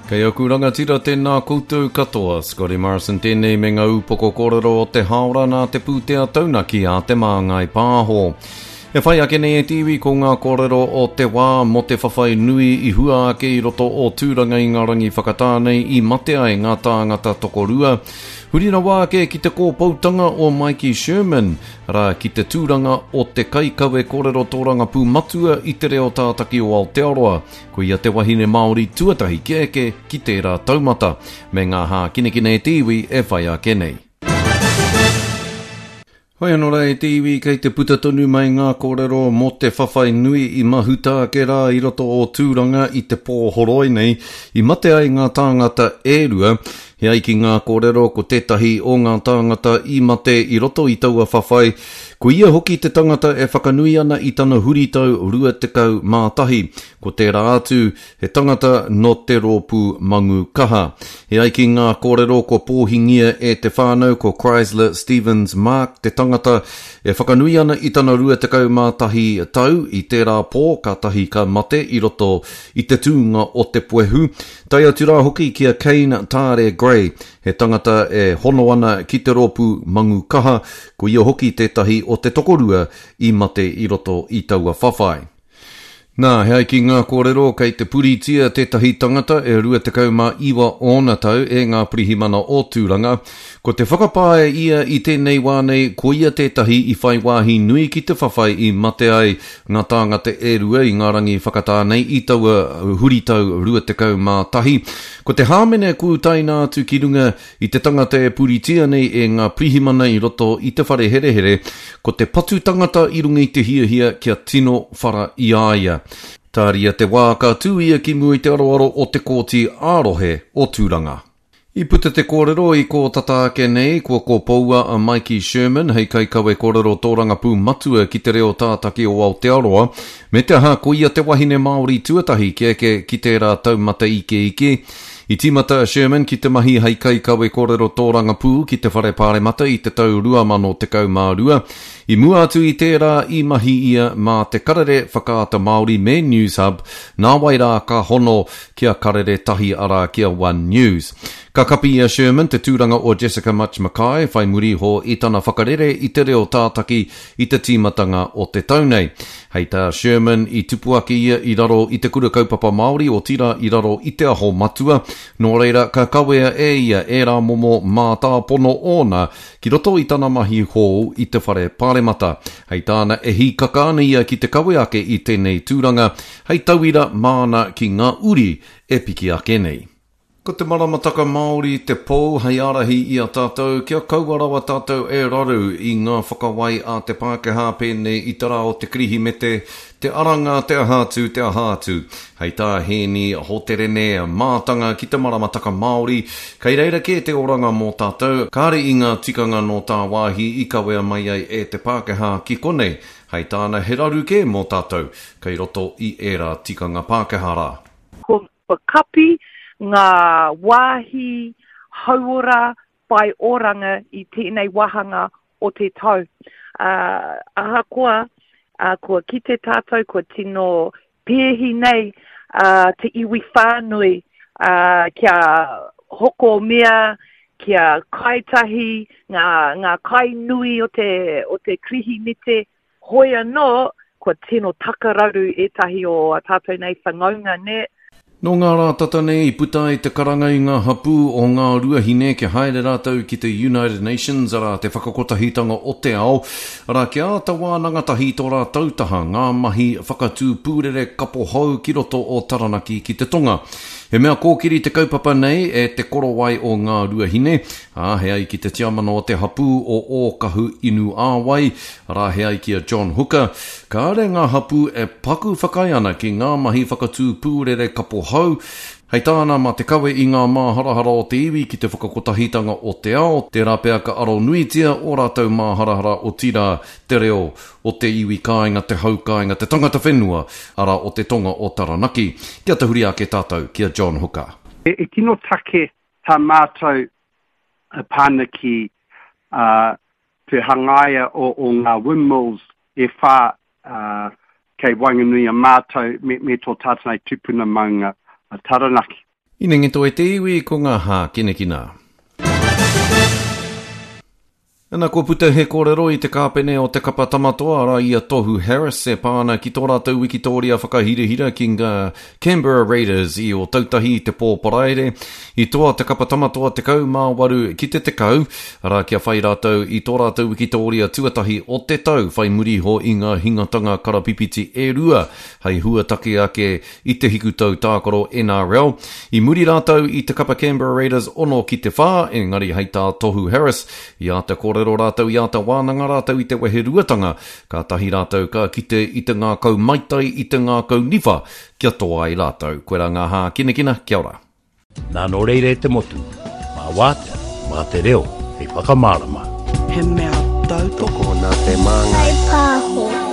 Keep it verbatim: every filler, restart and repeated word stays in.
Kei aku rangatira tēnā koutou katoa, Scotty Morrison tēnei me ngā upoko kōrero o te haora nā te pūtea taunaki a Te Māngai Pāho. E whai ake nei e te iwi ko ngā kōrero o te wā mō te whawhai nui i hua ake i roto o Tūranga i ngā rangi whakatā nei i mate ai ngā tāngata tokorua. Huri rawa ake ki te kōpoutanga o Maiki Sherman, arā ki te tūranga o te kaikawe kōrero tōrangapū matua i te reo tātaki o Aotearoa. Ko ia te wahine Māori tuatahi kia eke ki tērā taumata, me ngā hākinakina e te iwi e whai ake nei. Hoi anō rā e te iwi, kei te puta tonu mai ngā kōrero mō te whawhai nui i mahuta ake rā i roto o Tūranga i te pō horoi nei, i mate ai ngā tāngata e rua. He ai ki ngā kōrero ko tētahi o ngā tāngata i mate i roto i taua whawhai, ko ia hoki te tangata e whakanui ana i tana huritau rua tekau mā tahi. Ko tērā atu, he tangata nō te rōpū Mangu Kaha. He ai ki ngā kōrero kua pōhingia e te whānau ko Chrysler Stevens Mark te tangata e whakanui ana i tana rua tekau mā tahi tau i tērā pō kātahi ka mate i roto i te tūnga o te puehu. Tae atu rā hoki ki a Kane Tāre Gray, he tangata e hono ana ki te rōpū Mangu Kaha, ko ia hoki tētahi o te tokorua i mate i roto i taua whawhai. Nā, he ai ki ngā kōrero kei te puritia tētahi tangata e rua tekau mā iwa ōna tau e ngā pirihimana o Tūranga. Ko te whakapae ia i tēnei wā nei, ko ia tētahi i whai wāhi nui ki te whawhai i mate ai ngā tāngata e rua i ngā rangi whakatā nei i taua huritau rua tekau mā tahi. Ko te hāmene kua utaina atu ki runga i te tangata e puritia nei e ngā pirihimana i roto i te whare herehere, ko te patu tangata i runga i te hiahia kia tino whara i a ia. Tāria te wā ka tū ia ki mua i te aroaro o te kōti ā-rohe o Tūranga. I puta te kōrero i kō tata ake nei, kua kōpoua a Maiki Sherman hei kaikawe kōrero tōrangapū matua ki te reo tātaki o Aotearoa, me te aha ko ia te wahine Māori tuatahi kia eke ki tērā taumata ikeike. I tīmata a Sherman ki te mahi hei kaikawe kōrero tōrangapū ki te Whare Pāremata i te tau rua mano tekau mā rua. I mua atu i tērā i mahi ia mā te Karere Whakaata Māori me News Hub, nāwai rā ka hono ki a Karere Tahi arā ki a One News. Ka kapi i a Sherman te tūranga o Jessica Mutch McKay whai muri iho i tana whakarere i te reo tātaki i te tīmatanga o te tau nei. Hei tā Sherman, i tupu ake ia i raro i te kura kaupapa Māori, otirā i raro i te aho matua, nō reira ka kawea e ia ērā momo mātāpono ōna ki roto i tana mahi hou i te whare pāremata. Hei tāna e hīkaka ana ia ki te kawe ake i tēnei tūranga, hei tauira māna ki ngā uri e piki ake nei. Ko te maramataka Māori te pou hei ārahi i a tātou kia kaua rawa tātou e raru i ngā whakawai a te Pākehā pēnei i te rā o te Kirihimete, te aranga, te aha atu, te aha atu. Hei tā Hēni Hoterene, mātanga ki te maramataka Māori, kei reira kē te oranga mō tātou, kāre i ngā tikanga nō tāwāhi i kawea mai ai e te Pākehā ki konei. Hei tāna he raru kē mō tātou, kei roto i ērā tikanga Pākehā rā. Kua kapi ngā wāhi hauora whai oranga i tēnei wāhanga o te tau. Uh, ahakoa, uh, kua kite tātou, kua tino pēhi nei, uh, te iwi whānui, uh, kia hoko mea, kia kaitahi, ngā, ngā kai nui o te, o te Kirihimete, hoi anō, kua tino takararu ētahi o a tātou nei whanaunga, nē. Nō ngā rā tata nei i puta ai te karanga i ngā hapū o ngā ruahine kia haere rātou ki te United Nations, arā te whakakotahitanga o te ao, arā kia āta wānanga tahi tō rātou taha ngā mahi whakatū pūrere kapo hou ki roto o Taranaki ki te tonga. He mea kōkiri te kaupapa nei e te korowai o ngā ruahine, ā, he ai ki te tiamana o te hapū o Ōkahu Inu Āwai, arā he ai ki a John Hooker, kāre ngā hapū e paku whakaae ana ki ngā mahi whakatū pūrere kapo hou, hei tāna mā te kawe i ngā māharahara o te iwi ki te whakakotahitanga o te ao, tērā pea ka aro nuitia ō rātou māharahara otirā te reo o te iwi kāinga, te hau kāinga, te tangata whenua, arā o te tonga o Taranaki. Kia tahuri ake tātou ki a John Hooker. E tino take tā mātou pāna ki te hangaia o, o ngā windmills e whā kei waenganui a mātou me, me tō tātou nei tupuna maunga a Taranaki. Inengi e te iwi ko ngā hākinakina. Ana kua puta he kōrero i te kāpene o te kapa tamatoa arā i a Tohu Harris e pā ana ki tō rātou wikitōria whakahirahira ki ngā Canberra Raiders i Ōtautahi i te pō Paraire. I toa te kapa tamatoa tekau mā waru ki te tekau, arā kia whai rātou i tō rātou wikitōria tuatahi o te tau whai muri iho i ngā hingatanga karapipiti e rua hei huataki ake i te hikutau tākaro N R L. I muri rātou i te kapa Canberra Raiders ono ki te whā, engari hei tā Tohu Harris, i āta kōrero rātou, i āta wānanga rātou i te weheruatanga, kātahi rātou ka kite i te ngākau maitai, i te ngākau niwha, kia toa ai rātou. Koirā ngā hākinakina, kia ora. Nā nō reira e te motu, mā wātea, mā te reo, hei whakamārama. He mea tautoko nā te Māngai Pāho.